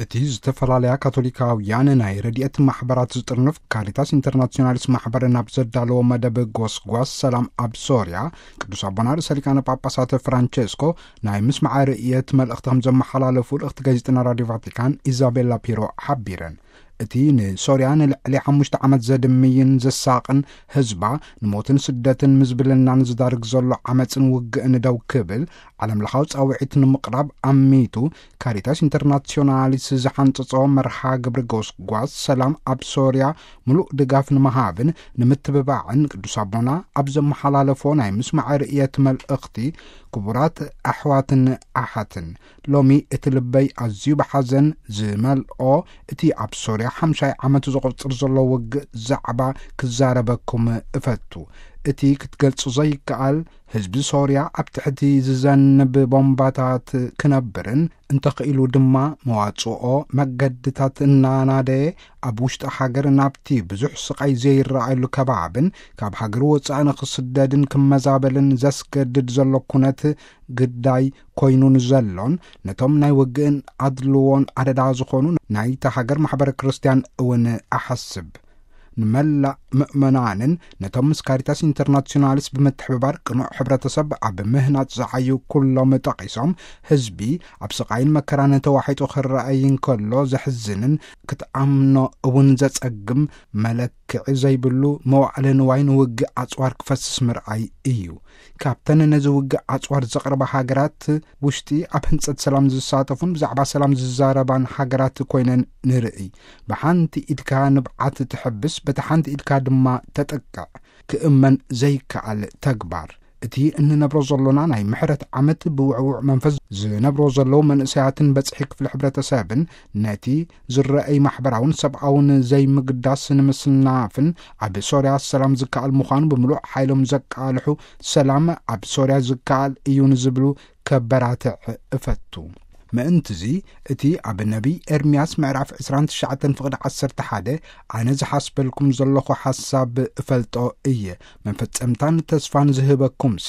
እቲ ዝተፈላለያ ካቶሊካውያን ናይ ረድኤት ማሕበራት ዝጥርንፍ ካሪታስ ኢንተርናሲዮናሊስ ማሕበር ናብ ዘዳለዎ መደብ ጎስጓስ ሰላም ኣብ ሶርያ፣ ቅዱስ ኣቦና ርእሰ ሊቃነ ጳጳሳት ፍራንቸስኮ ናይ ምስማዕ ርእየት መልእኽቲ ከም ዘመሓላለፉ ልእኽቲ ጋዜጠና ራዲዮ ቫቲካን ኢዛቤላ ፒሮ ሓቢረን። እቲ ንሶርያ ንልዕሊ ሓሙሽተ ዓመት ዘድምይን ዘሳቕን ህዝባ ንሞትን ስደትን ምዝብልናን ዝዳርግ ዘሎ ዓመፅን ውግእን ደው ክብል ዓለም ለኻዊ ጻውዒት ንምቕራብ ኣሚቱ፣ ካሪታስ ኢንተርናሲዮናሊስ ዝሓንጸጾ መርሃ ግብሪ ጎስጓስ ሰላም ኣብ ሶርያ ምሉእ ድጋፍ ንምሃብን ንምትብባዕን ቅዱስ ኣቦና ኣብ ዘመሓላለፎ ናይ ምስማዕ ርእየት መልእኽቲ፣ ክቡራት ኣሕዋትን ኣሓትን፣ ሎሚ እቲ ልበይ ኣዝዩ ብሓዘን ዝመልኦ እቲ ኣብ ሶርያ ሓምሻይ ዓመቱ ዘቑጽር ዘሎ ውግእ ዛዕባ ክዛረበኩም እፈቱ። እቲ ክትገልጹ ዘይከኣል ህዝቢ ሶርያ ኣብ ትሕቲ ዝዘንብ ቦምባታት ክነብርን እንተኽኢሉ ድማ መዋጽኦ መገድታት እናናደየ ኣብ ውሽጢ ሃገር ናብቲ ብዙሕ ስቓይ ዘይረኣየሉ ከባብን ካብ ሃገሩ ወጻኢ ንኽስደድን ክመዛበልን ዘስገድድ ዘሎ ኩነት ግዳይ ኮይኑ ንዘሎን ነቶም ናይ ውግእን ኣድልዎን ኣደዳ ዝኾኑ ናይታ ሃገር ማሕበረ ክርስቲያን እውን ኣሓስብ። ንመላእ ምእመናንን ነቶም ምስ ካሪታስ ኢንተርናሲዮናልስ ብምትሕብባር ቅኑዕ ሕብረተሰብ ኣብ ምህናጽ ዝዓዩ ኩሎም ጠቒሶም፣ ህዝቢ ኣብ ስቓይን መከራን ተዋሒጡ ክረኣይ እንከሎ ዘሕዝንን ክትኣምኖ እውን ዘጸግም መለክዒ ዘይብሉ መዋዕለ ንዋይ ንውግእ ኣጽዋር ክፈስስ ምርኣይ እዩ። ካብተን ነዚ ውግእ ኣጽዋር ዘቕርባ ሃገራት ውሽጢ ኣብ ህንጸት ሰላም ዝሳተፉን ብዛዕባ ሰላም ዝዛረባን ሃገራት ኮይነን ንርኢ። ብሓንቲ ኢድካ ንብዓት ትሕብስ፣ በቲ ሓንቲ ኢድካ ድማ ተጥቅዕ። ክእመን ዘይከኣል ተግባር። እቲ እንነብሮ ዘሎና ናይ ምሕረት ዓመት ብውዕውዕ መንፈስ ዝነብሮ ዘለዉ መንእሰያትን በጽሒ ክፍሊ ሕብረተሰብን ነቲ ዝረኣይ ማሕበራውን ሰብኣውን ዘይምግዳስ ንምስናፍን ኣብ ሶርያ ሰላም ዝከኣል ምዃኑ ብምሉእ ሓይሎም ዘቃልሑ ሰላም ኣብ ሶርያ ዝከኣል እዩ ንዝብሉ ከበራትዕ እፈቱ። ምእንትዚ እቲ ኣብ ነቢይ ኤርምያስ ምዕራፍ ዕስራን ትሽዓተን ፍቕዲ ዓሰርተ ሓደ ኣነ ዝሓስበልኩም ዘለኹ ሓሳብ እፈልጦ እየ፣ መፈጸምታን ተስፋን ዝህበኩምሲ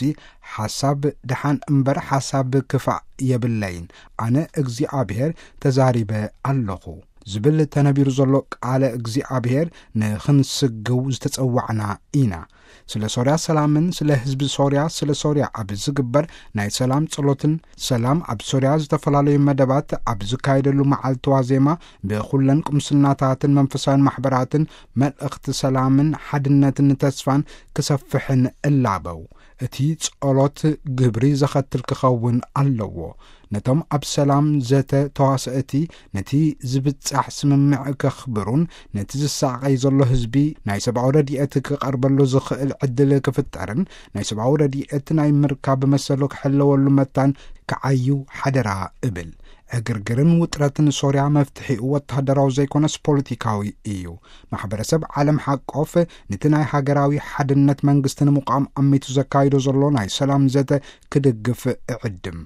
ሓሳብ ደሓን እምበር ሓሳብ ክፋእ የብለይን፣ ኣነ እግዚኣብሔር ተዛሪበ ኣለኹ ዝብል ተነቢሩ ዘሎ ቃለ እግዚኣብሔር ንኽንስግው ዝተጸዋዕና ኢና። ስለ ሶርያ ሰላምን ስለ ህዝቢ ሶርያ፣ ስለ ሶርያ ኣብ ዝግበር ናይ ሰላም ጸሎትን ሰላም ኣብ ሶርያ ዝተፈላለዩ መደባት ኣብ ዝካየደሉ መዓልቲ ዋዜማ ብኹለን ቁምስናታትን መንፈሳውያን ማሕበራትን መልእኽቲ ሰላምን ሓድነትን ተስፋን ክሰፍሕን እላበው። እቲ ጸሎት ግብሪ ዘኸትል ክኸውን ኣለዎ። ነቶም ኣብ ሰላም ዘተ ተዋሰእቲ ነቲ ዝብጻሕ ስምምዕ ከኽብሩን ነቲ ዝሳቐይ ዘሎ ህዝቢ ናይ ሰብኣዊ ረድኤት ክቐርበሉ ዝኽእል ዕድል ክፍጠርን ናይ ሰብኣዊ ረድኤት ናይ ምርካብ መሰሉ ክሕለወሉ መታን ክዓዩ ሓደራ እብል። ዕግርግርን ውጥረትን ሶርያ መፍትሒኡ ወተሃደራዊ ዘይኮነስ ፖለቲካዊ እዩ። ማሕበረሰብ ዓለም ሓቆፍ ነቲ ናይ ሃገራዊ ሓድነት መንግስቲ ንምቋም ኣሚቱ ዘካይዶ ዘሎ ናይ ሰላም ዘተ ክድግፍ እዕድም።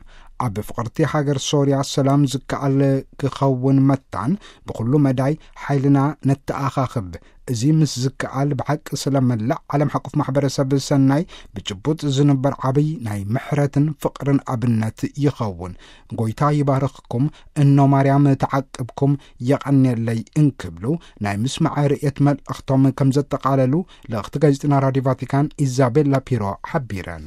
ኣብ ፍቕርቲ ሃገር ሶርያ ሰላም ዝከኣል ክኸውን መታን ብኹሉ መዳይ ሓይልና ነተኣኻኽብ። እዚ ምስ ዝከኣል ብሓቂ ስለ መላእ ዓለም ሓቆፍ ማሕበረሰብ ሰናይ ብጭቡጥ ዝንበር ዓብይ ናይ ምሕረትን ፍቕርን ኣብነት ይኸውን። ጎይታ ይባርኽኩም፣ እኖ ማርያም ተዓቅብኩም፣ የቐንየለይ እንክብሉ ናይ ምስማዕ ርእየት መልእኽቶም ከም ዘጠቓለሉ ልእኽቲ ጋዜጠና ራዲዮ ቫቲካን ኢዛቤላ ፒሮ ሓቢረን።